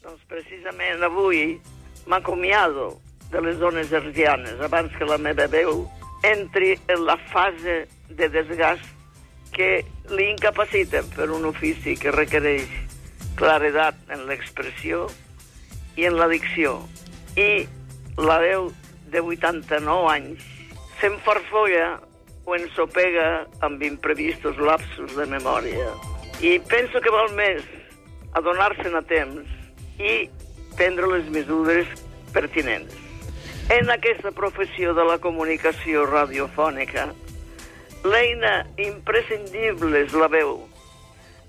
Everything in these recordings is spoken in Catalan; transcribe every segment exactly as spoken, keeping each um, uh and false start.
Doncs precisament avui m'acomiado de les zones hertzianes abans que la meva veu entri en la fase de desgast que li incapaciten per un ofici que requereix claredat en l'expressió i en la dicció. I la veu de vuitanta-nou anys s'enfarfolla o ensopega amb imprevistos lapsos de memòria. I penso que val més adonar-se'n a temps i prendre les mesures pertinents. En aquesta professió de la comunicació radiofònica, l'eina imprescindible és la veu,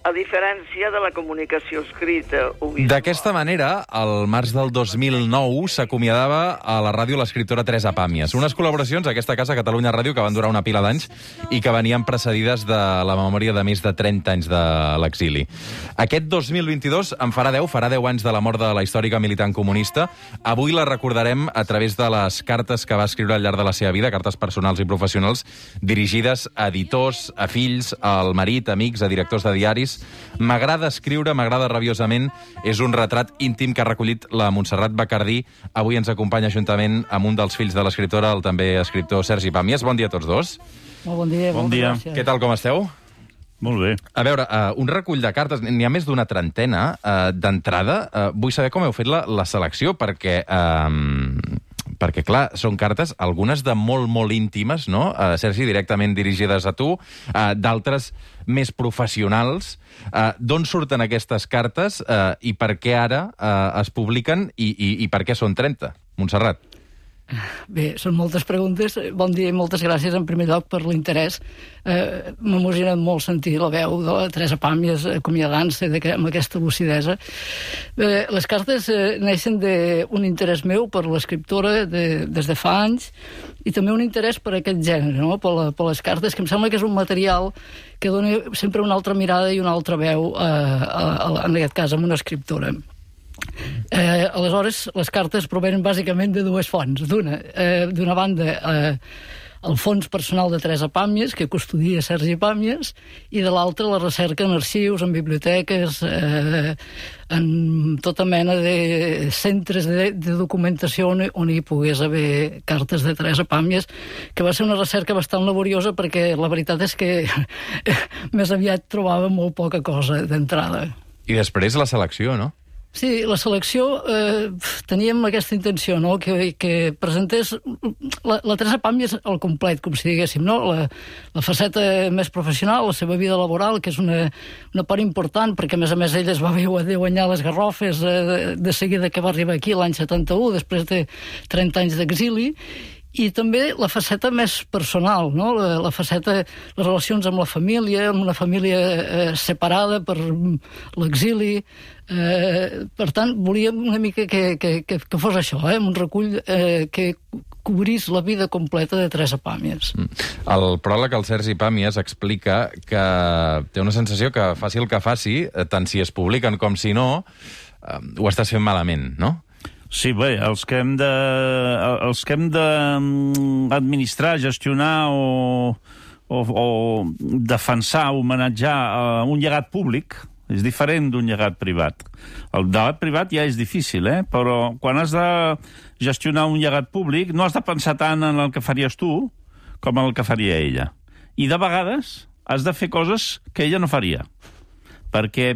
a diferència de la comunicació escrita o visual. D'aquesta manera, al març del dos mil nou s'acomiadava a la ràdio l'escriptora Teresa Pàmies. Unes col·laboracions a aquesta casa, Catalunya Ràdio, que van durar una pila d'anys i que venien precedides de la memòria de més de trenta anys de l'exili. Aquest dos mil vint-i-dos en farà deu, farà deu anys de la mort de la històrica militant comunista. Avui la recordarem a través de les cartes que va escriure al llarg de la seva vida, cartes personals i professionals, dirigides a editors, a fills, al marit, amics, a directors de diaris. M'agrada escriure, m'agrada rabiosament. És un retrat íntim que ha recollit la Montserrat Bacardí. Avui ens acompanya juntament amb un dels fills de l'escriptora, el també escriptor Sergi Pàmies. Bon dia a tots dos. Molt bon dia. Bon dia. Què tal, com esteu? Molt bé. A veure, uh, un recull de cartes, n'hi ha més d'una trentena. Uh, D'entrada, uh, vull saber com heu fet la, la selecció, perquè... Uh, perquè, clar, són cartes, algunes de molt, molt íntimes, no? Uh, Sergi, directament dirigides a tu, uh, d'altres més professionals. Uh, D'on surten aquestes cartes uh, i per què ara uh, es publiquen i, i, i per què són trenta? Montserrat. Bé, són moltes preguntes. Bon dia i moltes gràcies, en primer lloc, per l'interès. Eh, M'ha emocionat molt sentir la veu de la Teresa Pàmies acomiadant-se amb aquesta lucidesa. Eh, les cartes eh, neixen d'un interès meu per l'escriptora de, des de fa anys i també un interès per aquest gènere, no? per, la, per les cartes, que em sembla que és un material que dona sempre una altra mirada i una altra veu, eh, a, a, en aquest cas, amb una escriptora. Eh, aleshores, les cartes provenen bàsicament de dues fonts. D'una, eh, d'una banda, eh, el fons personal de Teresa Pàmies, que custodia Sergi Pàmies, i de l'altra, la recerca en arxius, en biblioteques, eh, en tota mena de centres de, de documentació on, on hi pogués haver cartes de Teresa Pàmies, que va ser una recerca bastant laboriosa perquè la veritat és que més aviat trobava molt poca cosa d'entrada. I després la selecció, no? Sí, la selecció, eh, teníem aquesta intenció, no?, que, que presentés la, la Teresa Pàmies al complet, com si diguéssim, no?, la, la faceta més professional, la seva vida laboral, que és una, una part important, perquè a més a més ella es va haver guanyar les Garrofes eh, de, de seguida que va arribar aquí l'any setanta-u, després de trenta anys d'exili, i també la faceta més personal, no? la, la faceta, les relacions amb la família, amb una família eh, separada per l'exili. Eh, per tant, volíem una mica que, que, que, que fos això, eh? un recull eh, que cobrís la vida completa de Teresa Pàmies. El pròleg, el Sergi Pàmies, explica que té una sensació que faci el que faci, tant si es publiquen com si no, eh, ho estàs fent malament, no? Sí, bé, els que hem de, els que hem d'administrar, gestionar o, o, o defensar, homenatjar un llegat públic, és diferent d'un llegat privat. El llegat privat ja és difícil, eh? Però quan has de gestionar un llegat públic no has de pensar tant en el que faries tu com en el que faria ella. I de vegades has de fer coses que ella no faria, perquè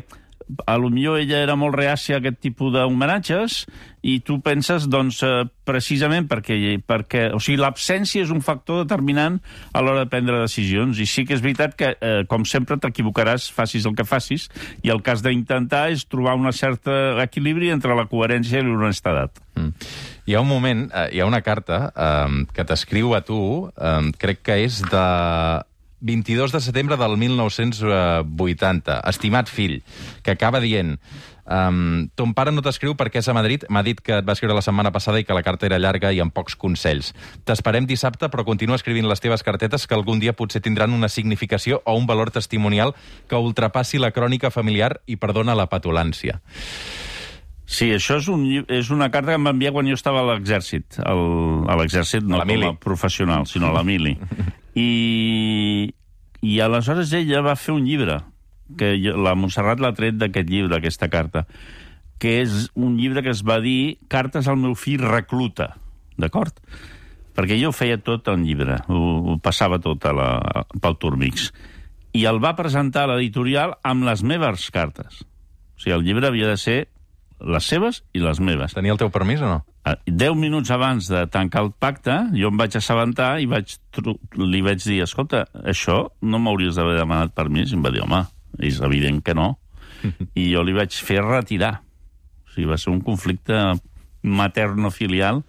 a lo millor ella era molt reàcia a aquest tipus d'homenatges i tu penses, doncs, eh, precisament perquè, perquè... O sigui, l'absència és un factor determinant a l'hora de prendre decisions i sí que és veritat que, eh, com sempre, t'equivocaràs, facis el que facis, i el que has d'intentar és trobar un cert equilibri entre la coherència i l'honestedat. Mm. Hi ha un moment, eh, hi ha una carta eh, que t'escriu a tu, eh, crec que és de vint-i-dos de setembre del mil nou-cents vuitanta. Estimat fill, que acaba dient: um, ton pare no t'escriu perquè és a Madrid, m'ha dit que et va escriure la setmana passada i que la carta era llarga i amb pocs consells. T'esperem dissabte, però continua escrivint les teves cartetes que algun dia potser tindran una significació o un valor testimonial que ultrapassi la crònica familiar i perdona la petulància. Sí, això és, un, és una carta que em va enviar quan jo estava a l'exèrcit. El, a l'exèrcit no com a professional, sinó a la mili. I, I aleshores ella va fer un llibre, que la Montserrat l'ha tret d'aquest llibre, aquesta carta, que és un llibre que es va dir Cartes al meu fill recluta, d'acord? Perquè jo ho feia tot en llibre, ho, ho passava tot a la, pel Turmix. I el va presentar a l'editorial amb les meves cartes. O sigui, el llibre havia de ser les seves i les meves. Tenia el teu permís o no? Deu minuts abans de tancar el pacte, jo em vaig assabentar i vaig, li vaig dir, escolta, això no m'hauries d'haver demanat permís? I em va dir, home, és evident que no. I jo li vaig fer retirar. O sigui, va ser un conflicte materno-filial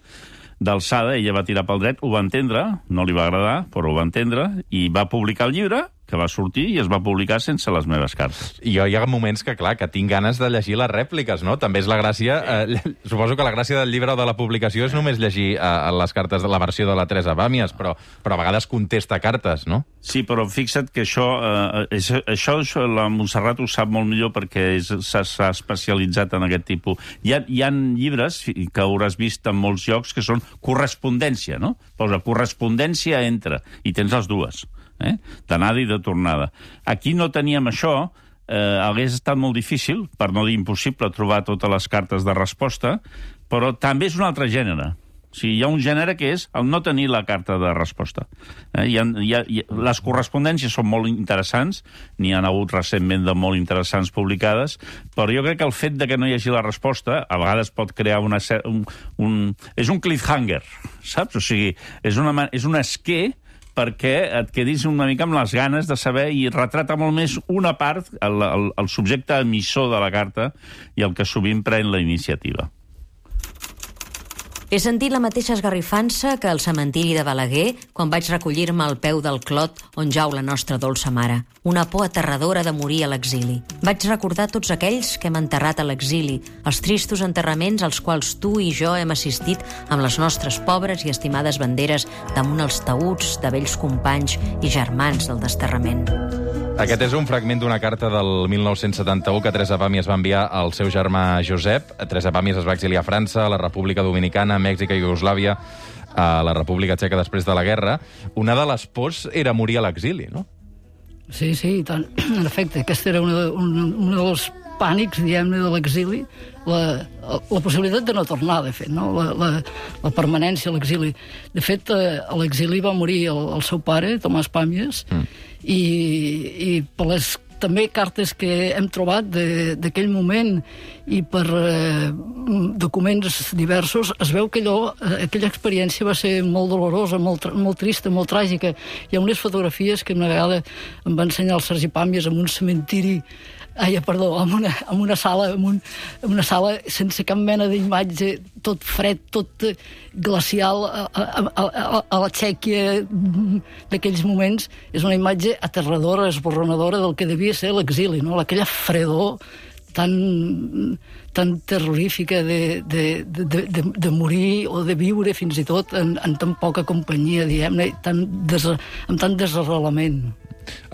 d'alçada, ella va tirar pel dret, ho va entendre, no li va agradar, però ho va entendre, i va publicar el llibre, que va sortir i es va publicar sense les meves cartes. I jo hi ha moments que, clar, que tinc ganes de llegir les rèpliques, no? També és la gràcia... Eh, suposo que la gràcia del llibre o de la publicació és només llegir eh, les cartes de la versió de la Teresa Pàmies, però, però a vegades contesta cartes, no? Sí, però fixa't que això... Eh, és, això, això la Montserrat ho sap molt millor perquè s'ha especialitzat en aquest tipus. Hi ha, hi ha llibres que hauràs vist en molts llocs que són correspondència, no? Posa correspondència entre, i tens les dues. Eh? D'anada i de tornada. Aquí no teníem això, eh, hagués estat molt difícil, per no dir impossible, trobar totes les cartes de resposta, però també és un altre gènere. O sigui, hi ha un gènere que és el no tenir la carta de resposta. Eh? Hi ha, hi ha, hi ha, les correspondències són molt interessants, n'hi ha hagut recentment de molt interessants publicades, però jo crec que el fet de que no hi hagi la resposta a vegades pot crear una, un, un... És un cliffhanger, saps? O sigui, és, una, és un esquer perquè et quedis una mica amb les ganes de saber i retrata molt més una part, el, el, el subjecte emissor de la carta i el que sovint pren la iniciativa. He sentit la mateixa esgarrifança que al cementiri de Balaguer quan vaig recollir-me al peu del clot on jau la nostra dolça mare. Una por aterradora de morir a l'exili. Vaig recordar tots aquells que hem enterrat a l'exili, els tristos enterraments als quals tu i jo hem assistit amb les nostres pobres i estimades banderes damunt els taüts de vells companys i germans del desterrament. Aquest és un fragment d'una carta del mil nou-cents setanta-u que Teresa Pàmies va enviar al seu germà Josep. Teresa Pàmies es va exiliar a França, a la República Dominicana, a Mèxic i Iugoslàvia, a la República Txeca després de la guerra. Una de les pors era morir a l'exili, no? Sí, sí, i tant. En efecte, aquest era un, un, un dels pànics, diguem-ne, de l'exili, la, la possibilitat de no tornar, de fet, no? la, la, la permanència a l'exili. De fet, a l'exili va morir el, el seu pare, Tomàs Pàmies, mm. i, i per les també cartes que hem trobat d'aquell moment i per eh, documents diversos, es veu que allò, aquella experiència va ser molt dolorosa, molt, molt trista, molt tràgica. Hi ha unes fotografies que una vegada em va ensenyar el Sergi Pàmies en un cementiri, ai, perdó, en una, en una sala, en, un, en una sala sense cap mena d'imatge, tot fred, tot glacial, a, a, a, a la Txèquia d'aquells moments. És una imatge aterradora, esborronadora del que devia ser l'exili, no? Aquella fredor tan, tan terrorífica de, de, de, de, de morir o de viure fins i tot en, en tan poca companyia, diguem-ne, tan des, amb tant desarrelament.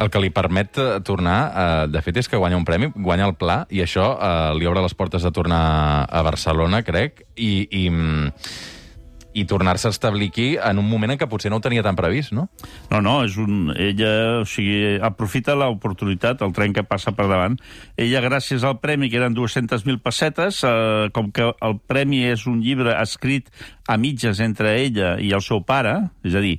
El que li permet tornar, eh, de fet, és que guanya un premi, guanya el Pla, i això eh, li obre les portes de tornar a Barcelona, crec, i, i, i tornar-se a establir aquí en un moment en què potser no ho tenia tan previst, no? No, no, és un... Ella, o sigui, aprofita l'oportunitat, el tren que passa per davant. Ella, gràcies al premi, que eren dues-centes mil pessetes, eh, com que el premi és un llibre escrit a mitges entre ella i el seu pare, és a dir,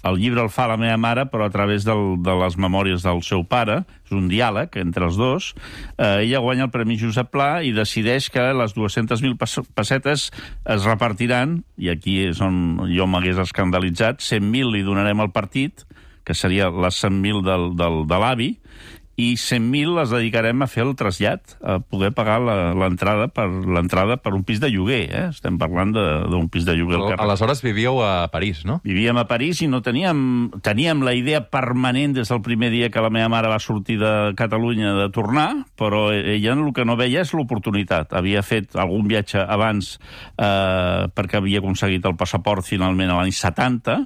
el llibre el fa la meva mare, però a través del, de les memòries del seu pare, és un diàleg entre els dos, eh, ella guanya el Premi Josep Pla i decideix que les dues-centes mil pessetes es repartiran, i aquí és on jo m'hagués escandalitzat, cent mil li donarem al partit, que seria les cent mil del, del, de l'avi, i cent mil les dedicarem a fer el trasllat, a poder pagar l'entrada per l'entrada per un pis de lloguer, eh? Estem parlant d'un pis de lloguer. Al Aleshores vivíeu a París, no? Vivíem a París i no teníem... Teníem la idea permanent des del primer dia que la meva mare va sortir de Catalunya de tornar, però ella el que no veia és l'oportunitat. Havia fet algun viatge abans eh, perquè havia aconseguit el passaport finalment a l'any setanta,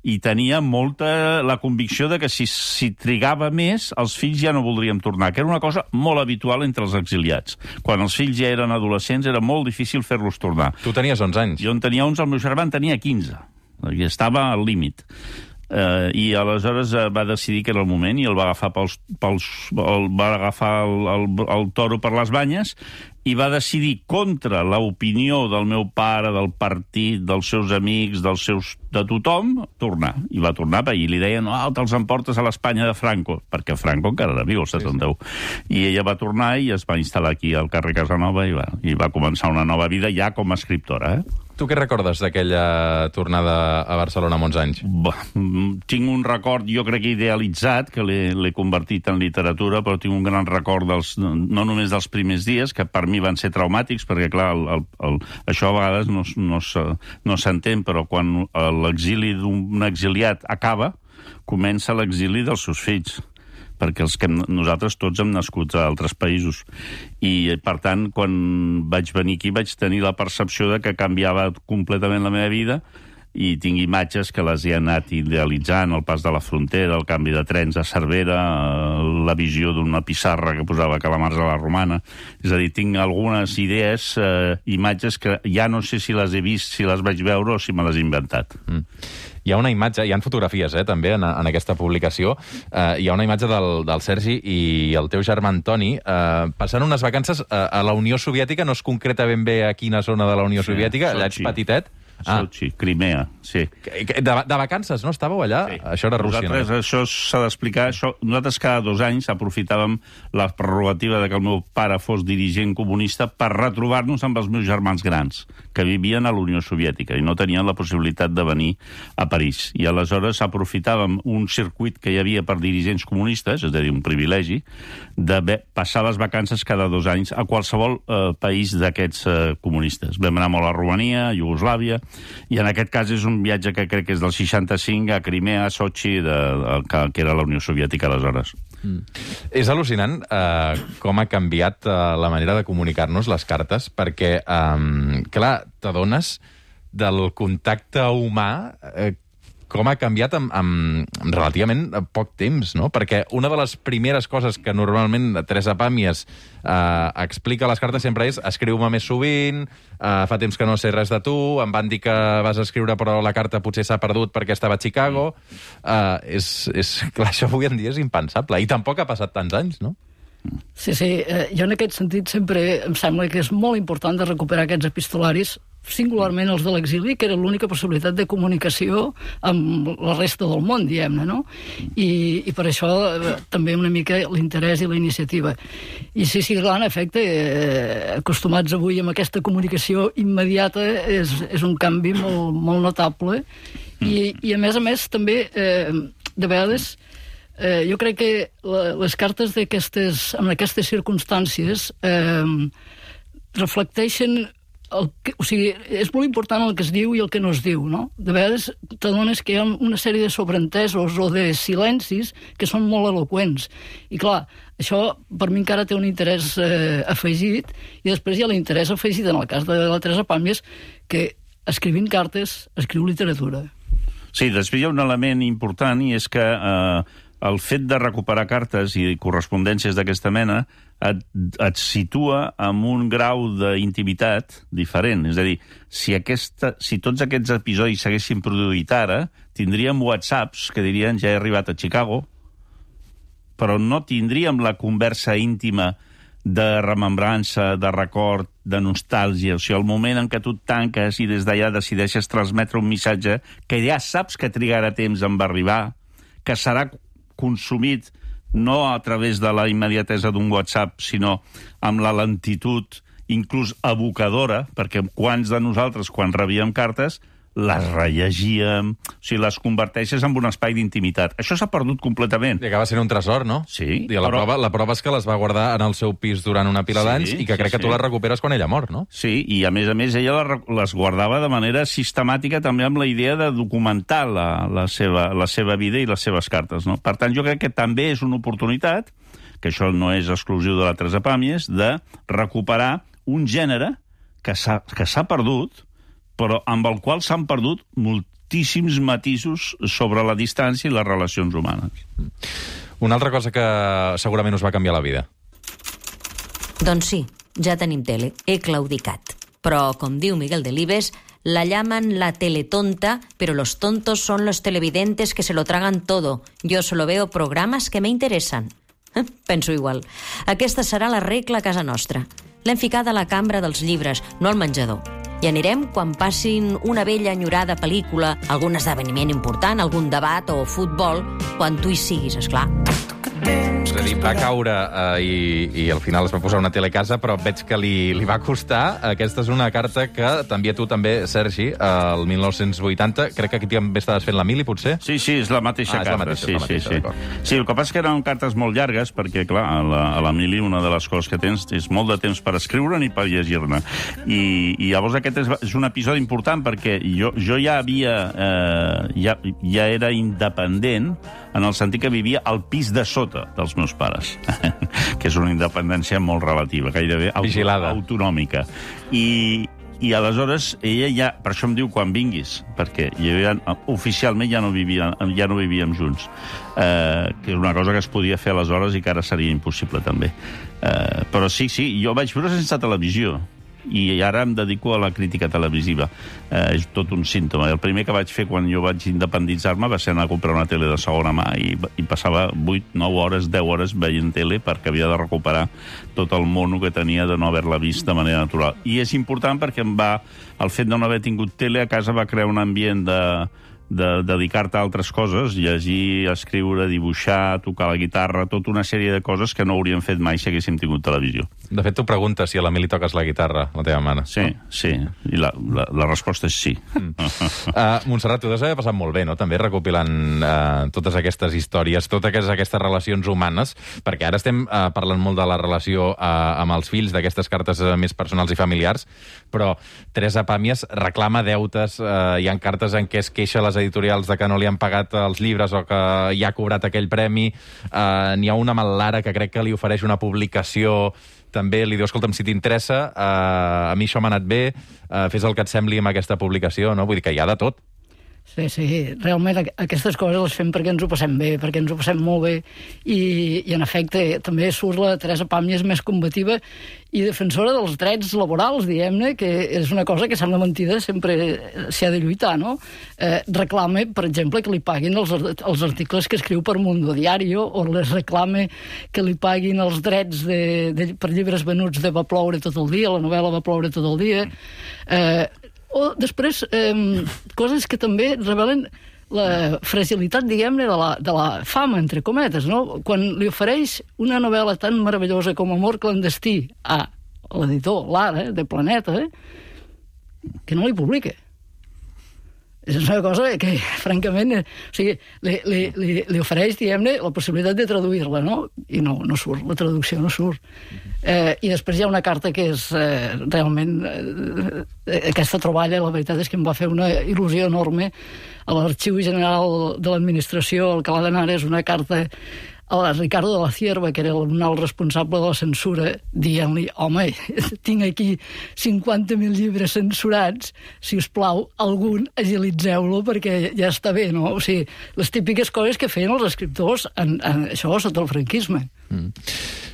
i tenia molta la convicció de que si, si trigava més, els fills ja no voldrien tornar, que era una cosa molt habitual entre els exiliats. Quan els fills ja eren adolescents era molt difícil fer-los tornar. Tu tenies onze anys. Jo en tenia onze, el meu germà en tenia quinze. I estava al límit. eh, i aleshores eh, va decidir que era el moment i el va agafar pels, pels el, va agafar el, el, el toro per les banyes i va decidir contra l'opinió del meu pare, del partit, dels seus amics, dels seus, de tothom, tornar. I va tornar, i li deien, oh, te'ls emportes a l'Espanya de Franco, perquè Franco encara era viu, el setanta-u. Sí, sí. I ella va tornar i es va instal·lar aquí al carrer Casanova i va, i va començar una nova vida ja com a escriptora, eh? Tu què recordes d'aquella tornada a Barcelona molts anys? Bah, tinc un record, jo crec que idealitzat, que l'he convertit en literatura, però tinc un gran record dels, no només dels primers dies, que per mi van ser traumàtics, perquè, clar, el, el, el, això a vegades no, no, no s'entén, però quan l'exili d'un exiliat acaba, comença l'exili dels seus fills, perquè els que nosaltres tots hem nascut a altres països. I, per tant, quan vaig venir aquí vaig tenir la percepció de que canviava completament la meva vida i tinc imatges que les he anat idealitzant, el pas de la frontera, el canvi de trens a Cervera, la visió d'una pissarra que posava calamars a la Romana. És a dir, tinc algunes idees, eh, imatges que ja no sé si les he vist, si les vaig veure o si me les he inventat. Mm. Hi ha una imatge, hi ha fotografies, eh, també, en, en aquesta publicació. Uh, hi ha una imatge del, del Sergi i el teu germà Antoni uh, passant unes vacances uh, a la Unió Soviètica, no es concreta ben bé a quina zona de la Unió sí, Soviètica, allà ets petitet. Ah. Sochi, Crimea, sí. De, de vacances, no? Estàveu allà? Sí. Això era Rússia. Nosaltres, no? Això s'ha d'explicar. Això, nosaltres cada dos anys aprofitàvem la prerrogativa de que el meu pare fos dirigent comunista per retrobar-nos amb els meus germans grans, que vivien a la Unió Soviètica i no tenien la possibilitat de venir a París. I aleshores aprofitàvem un circuit que hi havia per dirigents comunistes, és a dir, un privilegi, de passar les vacances cada dos anys a qualsevol eh, país d'aquests eh, comunistes. Vam anar molt a Romania, a Iugoslàvia, i en aquest cas és un viatge que crec que és del seixanta-cinc a Crimea, a Sochi, de, de, que, que era la Unió Soviètica aleshores. Mm. És al·lucinant eh, com ha canviat eh, la manera de comunicar-nos les cartes, perquè, eh, clar, t'adones del contacte humà eh, com ha canviat en, en, en relativament poc temps, no? Perquè una de les primeres coses que normalment Teresa Pàmies eh, explica a les cartes sempre és escriu-me més sovint, eh, fa temps que no sé res de tu, em van dir que vas escriure però la carta potser s'ha perdut perquè estava a Chicago. Eh, és, és, clar, això avui en dia és impensable. I tampoc ha passat tants anys, no? Sí, sí. Eh, jo en aquest sentit sempre em sembla que és molt important de recuperar aquests epistolaris, singularment els de l'exili, que era l'única possibilitat de comunicació amb la resta del món, diguem-ne, no? I, i per això eh, també una mica l'interès i la iniciativa. I sí, sí, clar, en efecte, eh, acostumats avui amb aquesta comunicació immediata, és, és un canvi molt, molt notable. I, i a més a més, també, eh, de vegades, eh, jo crec que la, les cartes d'aquestes, en aquestes circumstàncies eh, reflecteixen el que, o sigui, és molt important el que es diu i el que no es diu, no? De vegades t'adones que hi ha una sèrie de sobreentesos o de silencis que són molt eloqüents. I clar, això per mi encara té un interès eh, afegit, i després hi ha l'interès afegit en el cas de la Teresa Pàmies, que escrivint cartes escriu literatura. Sí, després hi ha un element important, i és que eh, el fet de recuperar cartes i correspondències d'aquesta mena et, et situa en un grau d'intimitat diferent. És a dir, si, aquesta, si tots aquests episodis s'haguessin produït ara, tindríem whatsapps que dirien ja he arribat a Chicago, però no tindríem la conversa íntima de remembrança, de record, de nostàlgia. O sigui, el moment en què tu et tanques i des d'allà decideixes transmetre un missatge que ja saps que trigarà temps en arribar, que serà consumit no a través de la immediatesa d'un WhatsApp, sinó amb la lentitud inclús evocadora, perquè quants de nosaltres, quan rebíem cartes, les rellegíem, o sigui, les converteixes en un espai d'intimitat. Això s'ha perdut completament. I acaba sent un tresor, no? Sí. I la, però... prova, la prova és que les va guardar en el seu pis durant una pila sí, d'anys i que crec sí, que tu sí. les recuperes quan ella mor, no? Sí, i a més a més ella les guardava de manera sistemàtica també amb la idea de documentar la, la, seva, la seva vida i les seves cartes, no? Per tant, jo crec que també és una oportunitat, que això no és exclusiu de la Teresa Pàmies, de recuperar un gènere que s'ha que s'ha perdut, però amb el qual s'han perdut moltíssims matisos sobre la distància i les relacions humanes. Una altra cosa que segurament us va canviar la vida. Doncs sí, ja tenim tele. He claudicat. Però, com diu Miguel Delibes, La llaman la teletonta, pero los tontos son los televidentes que se lo tragan todo. Yo solo veo programas que me interesan. Penso igual. Aquesta serà la regla a casa nostra. L'hem ficada a la cambra dels llibres, no al menjador. I anirem quan passin una vella enyorada pel·lícula, algun esdeveniment important, algun debat o futbol, quan tu hi siguis, esclar. És a dir, va caure eh, i, i al final es va posar una tele a casa, però veig que li, li va costar. Aquesta és una carta que t'envia tu també, Sergi, el mil nou-cents vuitanta. Crec que aquí també estaves fent la mili, potser? Sí, sí, és la mateixa ah, carta. És la mateixa, sí, és la mateixa, sí, sí. sí, el que passa és que eren cartes molt llargues, perquè, clar, a la, a la mili una de les coses que tens és molt de temps per escriure-ne i per llegir-ne. I, I llavors aquest és, és un episodi important, perquè jo, jo ja havia... Eh, ja, ja era independent, en el sentit que vivia al pis de sota dels meus pares, que és una independència molt relativa, gairebé auto autonòmica. I, I aleshores ella ja, per això em diu quan vinguis, perquè ja, oficialment ja no, vivia, ja no vivíem junts, eh, que és una cosa que es podia fer aleshores i que ara seria impossible també. Eh, però sí, sí, jo vaig viure sense televisió, i ara em dedico a la crítica televisiva. Eh, és tot un símptoma. El primer que vaig fer quan jo vaig independitzar-me va ser anar a comprar una tele de segona mà i, i passava vuit, nou hores, deu hores veient tele perquè havia de recuperar tot el mono que tenia de no haver-la vist de manera natural. I és important perquè em va, el fet de no haver tingut tele a casa va crear un ambient de... de dedicar-te a altres coses, llegir, escriure, dibuixar, tocar la guitarra, tota una sèrie de coses que no hauríem fet mai si haguéssim tingut televisió. De fet, tu preguntes si a l'Emili toques la guitarra, la teva mare. Sí, sí, i la, la, la resposta és sí. Mm. uh, Montserrat, tu t'has passat molt bé, no?, també recopilant uh, totes aquestes històries, totes aquestes relacions humanes, perquè ara estem uh, parlant molt de la relació uh, amb els fills, d'aquestes cartes uh, més personals i familiars, però Teresa Pàmies reclama deutes, uh, hi ha cartes en què es queixa les editorials de que no li han pagat els llibres o que ja ha cobrat aquell premi. Uh, N'hi ha una amb l'Ara que crec que li ofereix una publicació, també li diu, escolta'm, si t'interessa, uh, a mi això m'ha anat bé, uh, fes el que et sembli amb aquesta publicació, no? Vull dir que hi ha de tot. Sí, sí, realment aquestes coses les fem perquè ens ho passem bé, perquè ens ho passem molt bé, i, i en efecte també surt la Teresa Pàmies més combativa i defensora dels drets laborals, diguem-ne, que és una cosa que sembla mentida, sempre s'hi ha de lluitar, no? Eh, reclame, per exemple, que li paguin els, els articles que escriu per Mundo Diario, o les reclame que li paguin els drets de, de, per llibres venuts de Va ploure tot el dia, la novel·la Va ploure tot el dia... Eh, O després, eh, coses que també revelen la fragilitat, diguem-ne, de, la, de la fama, entre cometes, no? Quan li ofereix una novel·la tan meravellosa com Amor clandestí a l'editor, l'Ara, de Planeta, eh, que no li publica. És una cosa que, francament, eh, o sigui, li, li, li, li ofereix, diguem-ne, la possibilitat de traduir-la, no? I no, no surt, la traducció no surt. Eh, I després hi ha una carta que és eh, realment... Eh, aquesta troballa, la veritat és que em va fer una il·lusió enorme. A l'Arxiu General de l'Administració, el que l'ha d'anar és una carta a la Ricardo de la Cierva, que era el responsable de la censura, dient-li, home, tinc aquí cinquanta mil llibres censurats, si us plau, algun agilitzeu-lo perquè ja està bé, no? O sigui, les típiques coses que feien els escriptors en, en això sota el franquisme. Mm.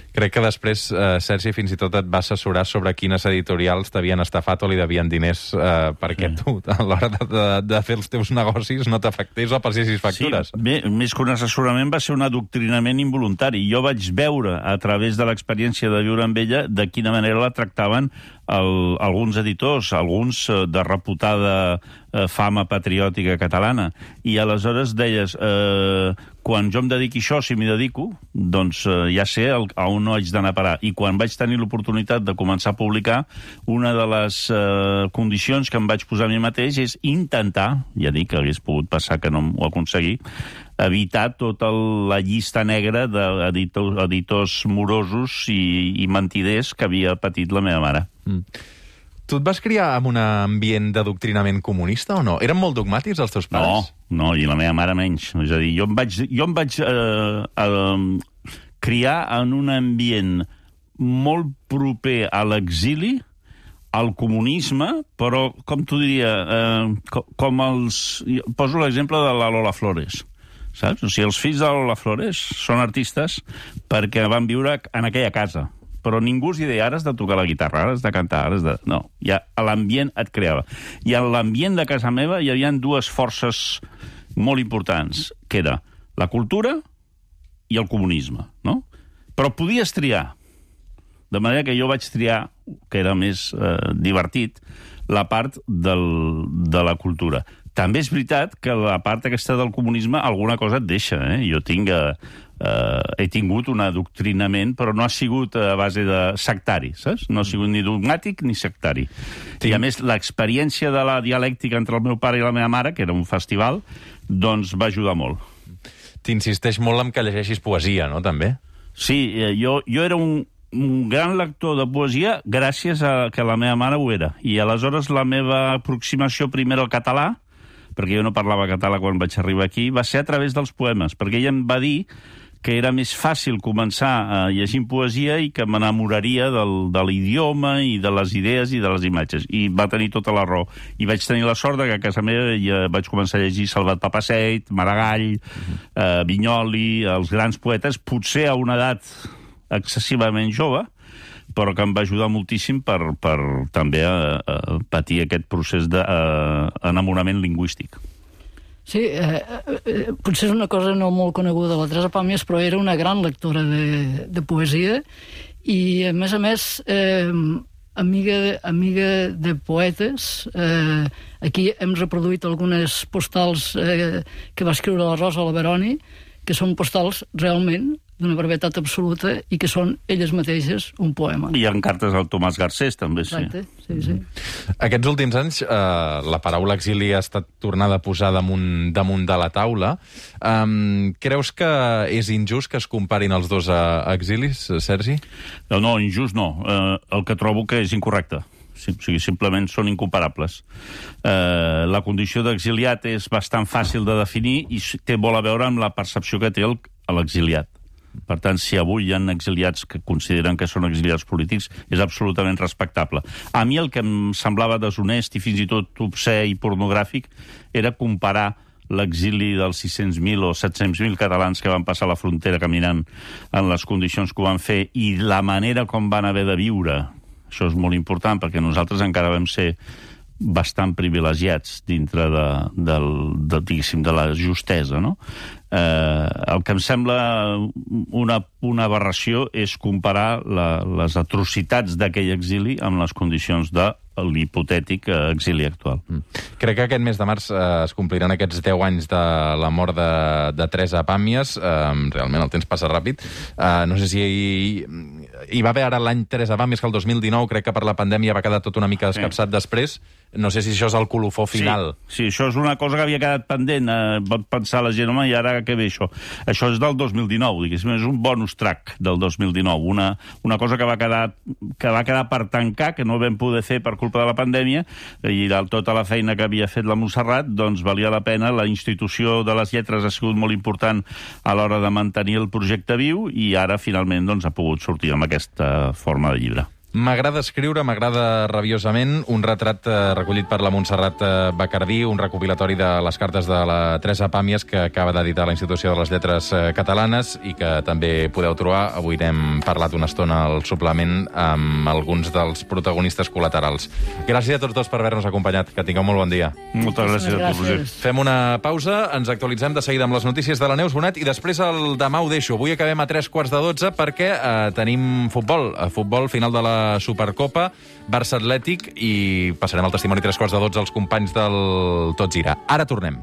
Crec que després, eh, Sergi, fins i tot et va assessorar sobre quines editorials t'havien estafat o li devien diners eh, perquè sí. tu, a l'hora de, de, de fer els teus negocis, no t'afectés o passessis factures. Sí, bé, més que un assessorament va ser un adoctrinament involuntari. Jo vaig veure, a través de l'experiència de viure amb ella, de quina manera la tractaven el, alguns editors, alguns eh, de reputada eh, fama patriòtica catalana. I aleshores deies, eh, quan jo em dediqui a això, si m'hi dedico, doncs eh, ja sé el, a on no haig d'anar a parar. I quan vaig tenir l'oportunitat de començar a publicar, una de les eh, condicions que em vaig posar a mi mateix és intentar, ja dic que hagués pogut passar que no ho aconseguí, evitar tota la llista negra d'editors editors morosos i, i mentiders que havia patit la meva mare. Mm. Tu et vas criar en un ambient d'adoctrinament comunista o no? Eren molt dogmàtics els teus pares? No, no, i la meva mare menys. És a dir, jo em vaig, jo em vaig eh, eh, criar en un ambient molt proper a l'exili, al comunisme, però, com t'ho diria, eh, com els... Poso l'exemple de la Lola Flores. Saps? O sigui, els fills de Lola Flores són artistes perquè van viure en aquella casa, però ningú us hi deia, ara has de tocar la guitarra, ara has de cantar, ara has de... No, ja l'ambient et creava. I en l'ambient de casa meva hi havia dues forces molt importants, que era la cultura i el comunisme, no? Però podies triar. De manera que jo vaig triar, que era més eh, divertit, la part del, de la cultura. També és veritat que la part aquesta del comunisme alguna cosa et deixa. Eh? Jo tinc, eh, eh, he tingut un adoctrinament, però no ha sigut a base de sectari, saps? No ha sigut ni dogmàtic ni sectari. Sí. I a més, l'experiència de la dialèctica entre el meu pare i la meva mare, que era un festival, doncs va ajudar molt. T'insisteix molt en que llegeixis poesia, no, també? Sí, eh, jo, jo era un... un gran lector de poesia gràcies a que la meva mare ho era. I aleshores la meva aproximació primer al català, perquè jo no parlava català quan vaig arribar aquí, va ser a través dels poemes, perquè ella em va dir que era més fàcil començar a llegir poesia i que m'enamoraria del, de l'idioma i de les idees i de les imatges. I va tenir tota la raó. I vaig tenir la sort que a casa meva ja vaig començar a llegir Salvat Papasseit, Maragall, eh, Vinyoli, els grans poetes, potser a una edat excessivament jove, però que em va ajudar moltíssim per, per també a, a patir aquest procés d'enamorament lingüístic. Sí, eh, eh, potser és una cosa no molt coneguda, la Teresa Pàmies, però era una gran lectora de, de poesia i, a més a més, eh, amiga, amiga de poetes. Eh, aquí hem reproduït algunes postals eh, que va escriure la Rosa Laveroni, que són postals realment d'una brevetat absoluta i que són elles mateixes un poema. I en cartes al Tomàs Garcés, també, sí. Exacte, sí, sí. Aquests últims anys, eh, la paraula exili ha estat tornada a posar damunt, damunt de la taula. Um, creus que és injust que es comparin els dos a, a exilis, Sergi? No, no, injust no. Eh, el que trobo que és incorrecte. Sí, o sigui, simplement són incomparables. Eh, la condició d'exiliat és bastant fàcil de definir i té molt a veure amb la percepció que té l'exiliat. Per tant, si avui hi ha exiliats que consideren que són exiliats polítics, és absolutament respectable. A mi el que em semblava deshonest i fins i tot obscè i pornogràfic era comparar l'exili dels sis-cents mil o set-cents mil catalans que van passar la frontera caminant en les condicions que ho van fer i la manera com van haver de viure. Això és molt important, perquè nosaltres encara vam ser bastant privilegiats dintre de, de, de, diguéssim, de la justesa, no? Eh, el que em sembla una, una aberració és comparar la, les atrocitats d'aquell exili amb les condicions de l'hipotètic exili actual. Mm. Crec que aquest mes de març eh, es compliran aquests deu anys de la mort de, de Teresa Pàmies. Eh, realment el temps passa ràpid. Eh, no sé si hi, hi va haver ara l'any Teresa Pàmies, que el dos mil dinou, crec que per la pandèmia va quedar tot una mica escapçat sí. després. No sé si això és el colofó final. Sí, sí, això és una cosa que havia quedat pendent. Eh, pot pensar la gent, home, i ara què ve això? Això és del dos mil dinou, diguéssim, és un bonus track del dos mil dinou. Una, una cosa que va, quedar, que va quedar per tancar, que no vam poder fer per culpa de la pandèmia, i de tota la feina que havia fet la Montserrat, doncs valia la pena. La institució de les lletres ha sigut molt important a l'hora de mantenir el projecte viu, i ara, finalment, doncs, ha pogut sortir amb aquesta forma de llibre. M'agrada escriure, m'agrada rabiosament, un retrat eh, recollit per la Montserrat eh, Bacardí, un recopilatori de les cartes de la Teresa Pàmies que acaba d'editar la Institució de les Lletres eh, Catalanes i que també podeu trobar. Avui n'hem parlat una estona al suplement amb alguns dels protagonistes col·laterals. Gràcies a tots dos per haver-nos acompanyat. Que tingueu molt bon dia. Moltes gràcies, gràcies a tu, Roger. Fem una pausa, ens actualitzem de seguida amb les notícies de la Neus Bonet i després el demà ho deixo. Avui acabem a tres quarts de dotze perquè eh, tenim futbol. A futbol, final de la Supercopa, Barça Atlètic, i passarem el testimoni tres quarts de dotze als companys del Tot Gira. Ara tornem.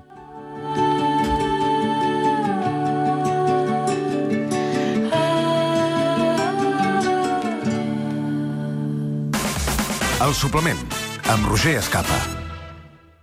El suplement, amb Roger Escapa.